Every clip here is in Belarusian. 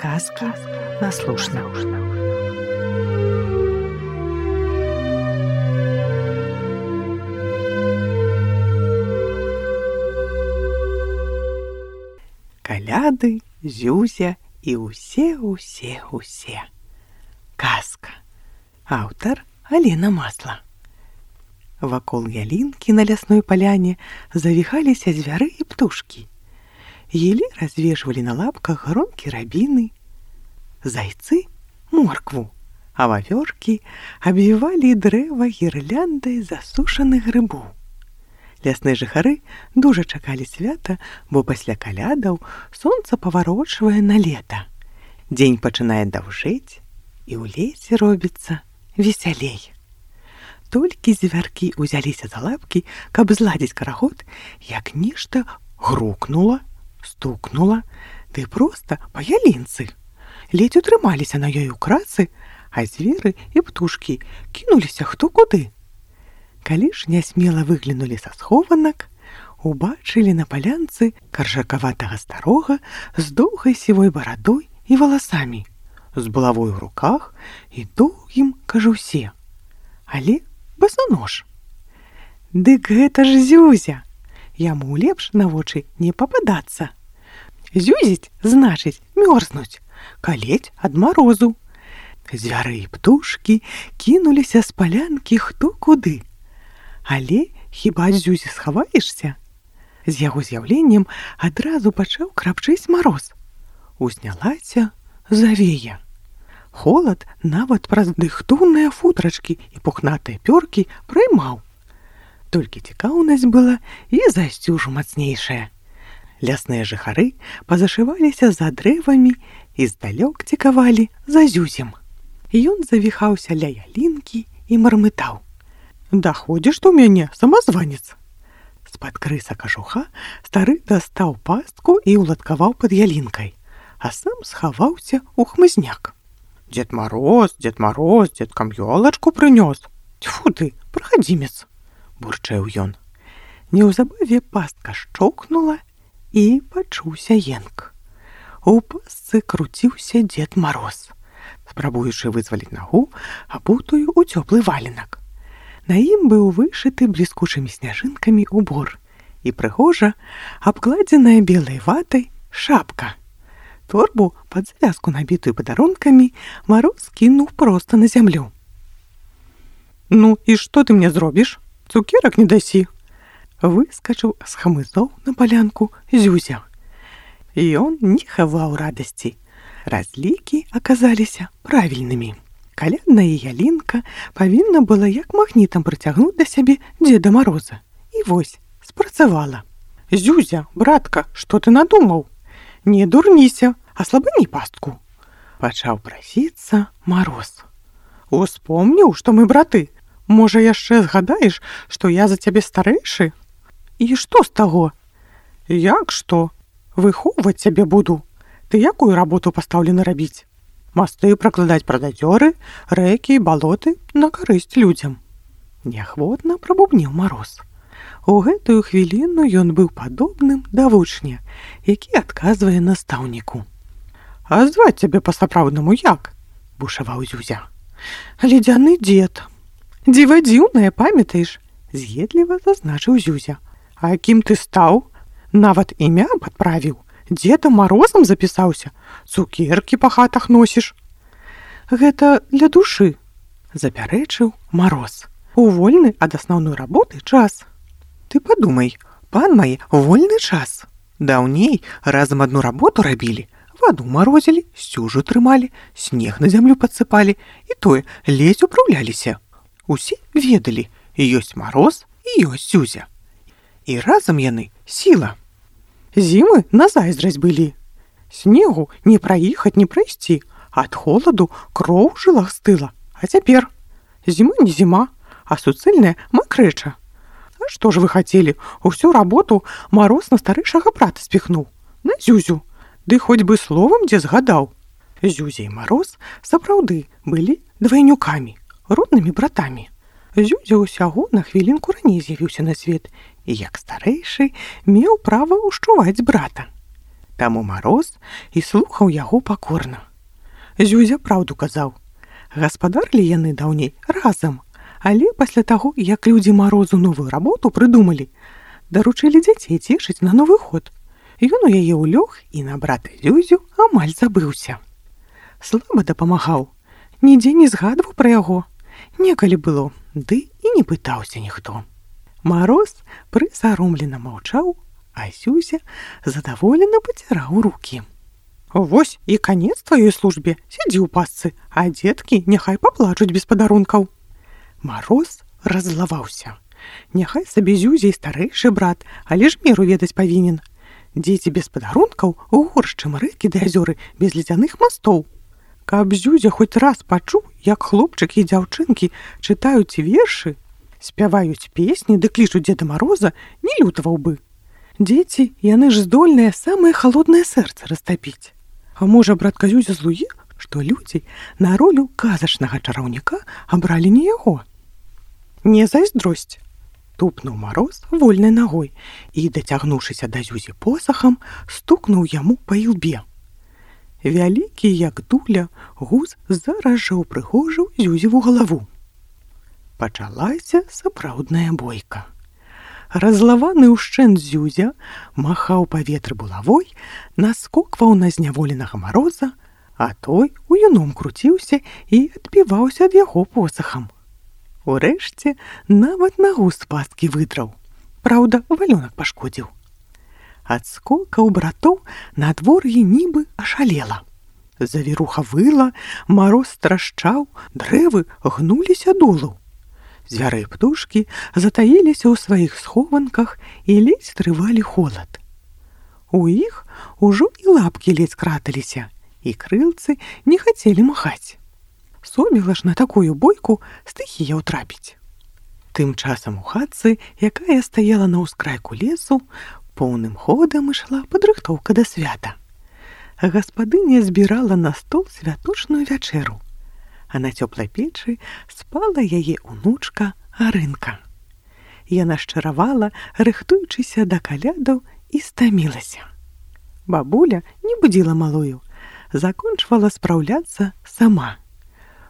Сказки на слушно. Каляды, Зюзя і усе. Казка. Аўтар Алена Масла. Вакол ялінкі на лясной паляне завіхаліся звяры і птушкі. Елі развешвалі на лапках гронкі рабіны, зайцы — моркву, а вавёркі абвівалі дрэва гірляндай засушаных грыбоў. Лясныя жыхары дужа чакалі свята, бо пасля калядаў сонца паварочвае на лета. Дзень пачынае даўжэць, і ў лесе робіцца весялей. Толькі звяркі ўзяліся за лапкі, каб зладзіць карагод, як нешта грукнула, стукнула, ды проста па ялінцы. Ледзь утрымаліся на ёй у крацы, а зверы і птушкі кінуліся хто куды. Калі ж нясмела выглянулі са схованак, убачылі на палянцы каржакаватага старога з доўгай сівой барадой і валасамі, з булавой у руках і доўгім кажусе. Але басанож. Дык гэта ж Зюзя! Яму лепш на вочы не пападацца. Зюзіць значыць мёрзнуць, калець ад марозу. Звяры і птушкі кінуліся з палянкі хто куды. Але хіба ад Зюзі схаваешся? З яго з'яўленнем адразу пачаў крапчыць мароз. Узнялася завея. Холад нават праз дыхтоўныя футрачкі і пухнатыя пёркі праймаў. Толькі цікаўнасць была і засцюжу мацнейшая. Лясныя жыхары пазашываліся за дрэвамі і здалёк цікавалі за Зюзем. Ён завіхаўся ля ялінкі і мармытаў: «Даходзіш у мяне, самазванец!» З-пад крыса кажуха стары дастаў пастку і ўладкаваў пад ялінкай, а сам схаваўся ў хмызняк. Дед Мороз, дзедкам ёлачку прынёс. Тьфу ты, прахадзімец! Бурчэў ён. Неўзабаве пастка шчокнула, і пачуўся енк. У пастцы круціўся Дед Мароз, спрабуючы вызваліць нагу, абутую ў цёплы валенак. На ім быў вышыты бліскучымі сняжынкамі убор і прыгожа абкладзеная белай ватай шапка. Торбу пад завязку, набітую падарункамі, Мароз кінуў проста на зямлю. «Ну і што ты мне зробіш? Цукерак не дасі!» Выскачыў з хмызоў на палянку Зюзя. Ён не хаваў радасці. Разлікі аказаліся правільнымі. Калядная ялінка павінна была як магнітам прыцягнуць да сябе Дзеда Мароза. І вось, спрацавала. «Зюзя, братка, што ты надумаў? Не дурніся, аслабані пастку!» Пачаў прасіцца Мароз. «Успомніў, што мы браты. Можа, яшчэ згадаеш, што я за цябе старэйшы? І што з таго? Як што? Выхоўваць цябе буду. Ты якую работу пастаўлены рабіць? Масты пракладаць праз азёры, рэкі і балоты на карысць людзям». Неахвотна прабубніў Мароз. У гэтую хвіліну ён быў падобным да вучня, які адказвае настаўніку. «А зваць цябе па-сапраўднаму як?» – бушаваў Зюзя. «Ледзяны дзед». «Дзіва дзіўнае, памятаеш?» – з'едліва зазначыў Зюзя. «А кім ты стаў? Нават імя падправіў. Дзедам Марозам запісаўся. Цукеркі па хатах носіш». «Гэта для душы», – запярэчыў Мароз. «У вольны ад асноўной работы час». «Ты падумай, пан мае, вольны час. Даўней разам адну работу рабілі. Ваду марозілі, сцюжу трымалі, снег на зямлю падсыпалі, і тое ледзь упраўляліся. Усе ведалі, ёсць Мароз і ёсць Зюзя. І разам яны сіла. Зімы на зайздрасць былі. Снегу не праехаць, не прайсці, ад холаду кроў у жылах стыла. А цяпер зіма не зіма, а суцэльная макрэча. А што ж вы хацелі? Усю работу Мароз на старэйшага брата спіхнуў, на Зюзю. Ды хоць бы словам дзе згадаў. Зюзя і Мароз сапраўды былі двайнюкамі, роднымі братамі. Зюзя ўсяго на хвілінку раней з'явіўся на свет і, як старэйшы, меў права ўшчуваць брата. Таму Мароз і слухаў яго пакорна. Зюзя праўду казаў. Гаспадарылі яны даўней разам, але пасля таго, як людзі Марозу новую работу прыдумалі, даручылі дзяцей цешыць на Новы год. Ён у яе ўлёг і на брата Зюзю амаль забыўся. Слаба дапамагаў, нідзе не згадваў пра яго. Некалі было, ды і не пытаўся ніхто. Мароз прысаромлена маўчаў, а Зюзя задаволена паціраў рукі. Вось і канец тваёй службе, сядзі ў пасцы, а дзеткі няхай паплачуць без падарункаў. Мароз раззлаваўся. Няхай сабе Зюзя і старэйшы брат, але ж меру ведаць павінен. Дзеці без падарункаў горш, чым рэкі ды азёры без ледзяных мастоў. Каб Зюзя хоць раз пачуў, як хлопчыкі і дзяўчынкі чытаюць вершы, спяваюць песні ды клічуць Дзеда Мароза, не лютаваў бы. Дзеці, яны ж здольныя самае халоднае сэрца растапіць. А можа, братка Зюзя злуе, што людзі на ролю казачнага чараўніка абралі не яго? Не зайздросць. Тупнуў Мароз вольнай нагой і, дацягнуўшыся да Зюзі посахам, стукнуў яму па ілбе. Вялікі, як дуля, гуз зараз жа ўпрыгожыў Зюзеву галаву. Пачалася сапраўдная бойка. Разлаваны ўшчэнт Зюзя махаў паветры булавой, наскокваў на зняволенага Мароза, а той у юном круціўся і адбіваўся ад яго посахам. Урэшце нават нагу з пасткі выдраў. Праўда, валёнак пашкодзіў. Ад скокаў братоў надвор'е нібы ашалела. Завіруха выла, Мароз страшчаў, дрэвы гнуліся долу. Звяры і птушкі затаіліся ў сваіх схованках і ледзь трывалі холад. У іх ужо і лапкі ледзь краталіся, і крылцы не хацелі махаць. Соміла ж на такую бойку стыхія ўтрапіць. Тым часам у хатцы, якая стаяла на ўскрайку лесу, поўным ходам ішла падрыхтоўка да свята. Гаспадыня збірала на стол святочную вячэру, а на цёплай печы спала яе унучка Арынка. Яна шчаравала, рыхтуючыся да калядаў, і стамілася. Бабуля не будзіла малую, закончвала спраўляцца сама.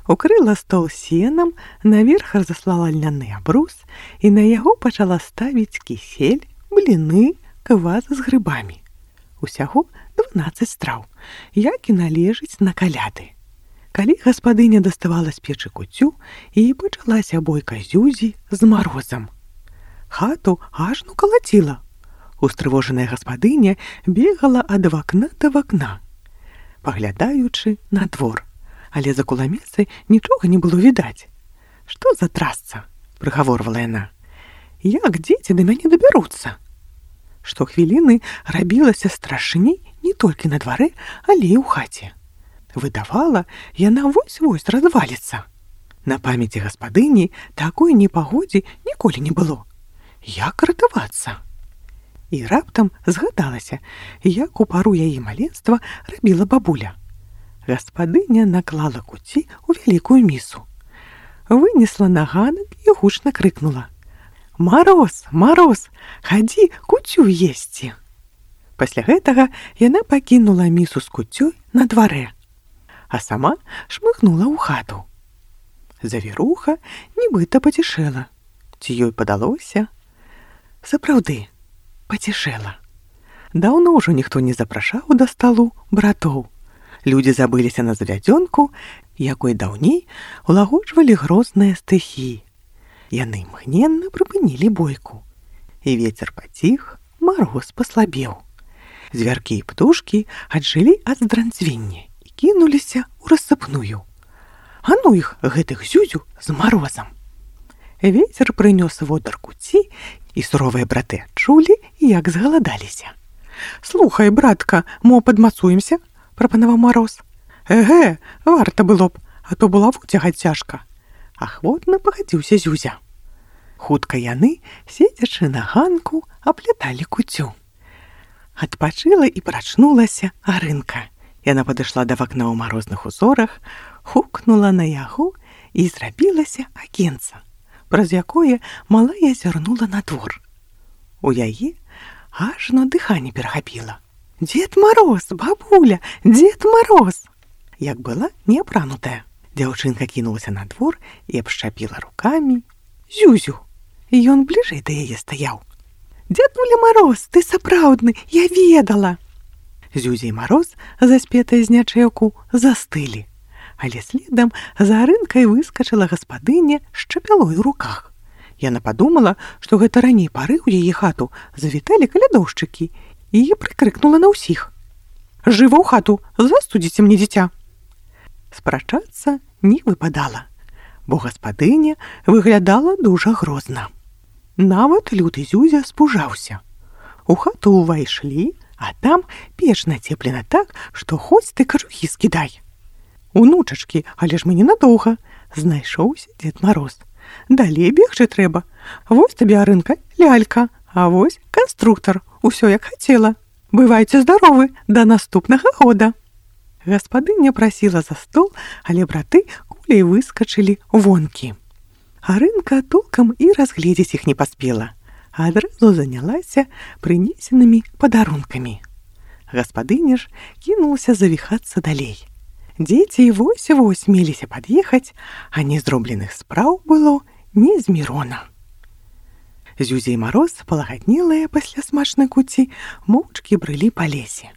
Укрыла стол сенам, наверх разаслала льняны абрус і на яго пачала ставіць кісель, бліны, квас з грыбамі. Усяго 12 страў, як і належыць на каляды. Калі гаспадыня даставала з печы куццю, і пачалася бойка Зюзі з Марозам. Хату ажно калаціла. Устрывожаная гаспадыня бегала ад вакна да вакна, паглядаючы на двор. Але за куламесай нічога не было відаць. «Што за трасца?» – прыгаворвала яна. «Як дзеці да мяне дабяруцца?» Штохвіліны рабілася страшней не толькі на дварэ, але і ў хаце. Выдавала, яна вось-вось разваліцца. На памяці гаспадыні такой непагодзе ніколі не было. Як ратавацца? І раптам згадалася, як у пару яе маленства рабіла бабуля. Гаспадыня наклала куці ў вялікую місу. Вынесла на ганак і гучна крыкнула: «Мароз, Мароз, хадзі куцю есці!» Пасля гэтага яна пакінула місу з куцёй на дварэ, а сама шмыгнула ў хату. Завіруха нібыта пацішэла. Ці ёй падалося? Сапраўды, пацішэла. Даўно ўжо ніхто не запрашаў да сталу братоў. Людзі забыліся на завядзёнку, якой даўней улагоджвалі грозныя стыхіі. Яны імгненна прыпынілі бойку. І вецер паціх, Мароз паслабеў. Звяркі і птушкі аджылі ад здранцвення і кінуліся ў рассыпную. А ну іх, гэтых Зюзю з Марозам! Вецер прынёс водар куці, і суровыя браты адчулі, як згаладаліся. «Слухай, братка, мо падмацуемся?» – прапанаваў Мароз. «Эгэ, варта было б, а то булаву цягаць цяжка». Ахвотна пагадзіўся Зюзя. Хутка яны, седзячы на ганку, апляталі куцю. Адпачыла і прачнулася Арынка. Яна падышла да вакна ў марозных узорах, хукнула на яго і зрабілася акенца, праз якое малая зірнула на двор. У яе ажно дыханне перахапіла. Дед Мороз, бабуля, Дед Мороз!» Як была неапранутая, дзяўчынка кінулася на двор і абшчапіла рукамі Зюзю. Ён бліжэй да яе стаяў. «Дзядуля Мороз, ты сапраўдны, я ведала!» Зюзя і Мароз, заспетая з нячэўку, застылі. Але следам за Арынкай выскачыла гаспадыня з чапялой у руках. Яна падумала, што гэта раней пары ў яе хату завіталі калядоўшчыкі, і прыкрыкнула на ўсіх: «Жыва ў хату, застудзіце мне дзіця!» Спрачацца не выпадала, бо гаспадыня выглядала дужа грозна. Нават люты Зюзя спужаўся. У хату ўвайшлі, а там печ нацеплена так, што хоць ты кажухі скідай. «Унучачкі, але ж мы ненадоўга», — знайшоўся Дзед Мароз. «Далей бегчы трэба. Вось табе, Арынка, лялька, а вось канструктар, усё як хацела. Бывайце здаровы, да наступнага года». Гаспадыня прасіла за стол, але браты куляй выскачылі вонкі. Арынка толкам і разгледзець іх не паспела, а адразу занялася прынесенымі падарункамі. Гаспадыня ж кінулася завіхацца далей. Дзеці вось-вось меліся пад'ехаць, а незробленых спраў было незмірона. Зюзя і Мароз, палагаднелыя пасля смачнай куці, моўчкі брылі па лесе.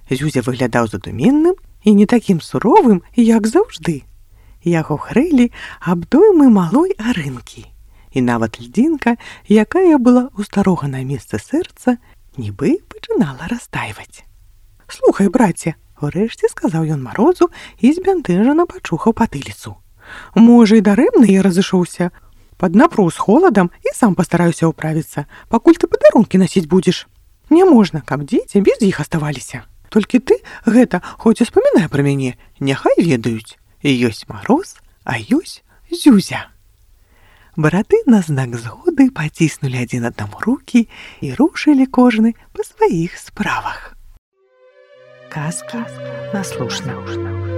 Зюзя выглядаў задуменным і не такім суровым, як заўжды. Яго хрэлі абдоймы малой Арынкі. І нават льдзінка, якая была ў старога на месцы сэрца, нібы пачынала растайваць. «Слухай, браце», — урэшце сказаў ён Марозу і збянтэжана пачухаў патыліцу. «Можа, і дарэмна я разышоўся. Паднапру з холадам і сам пастараюся ўправіцца, пакуль ты падарункі насіць будзеш. Не можна, каб дзеці без іх аставаліся. Толькі ты гэта хоць успамінай пра мяне, няхай ведаюць. Ёсць Мароз, а ёсць Зюзя». Браты на знак згоды паціснулі адзін аднаму рукі і рушылі кожны па сваіх справах. Казкі на слушна.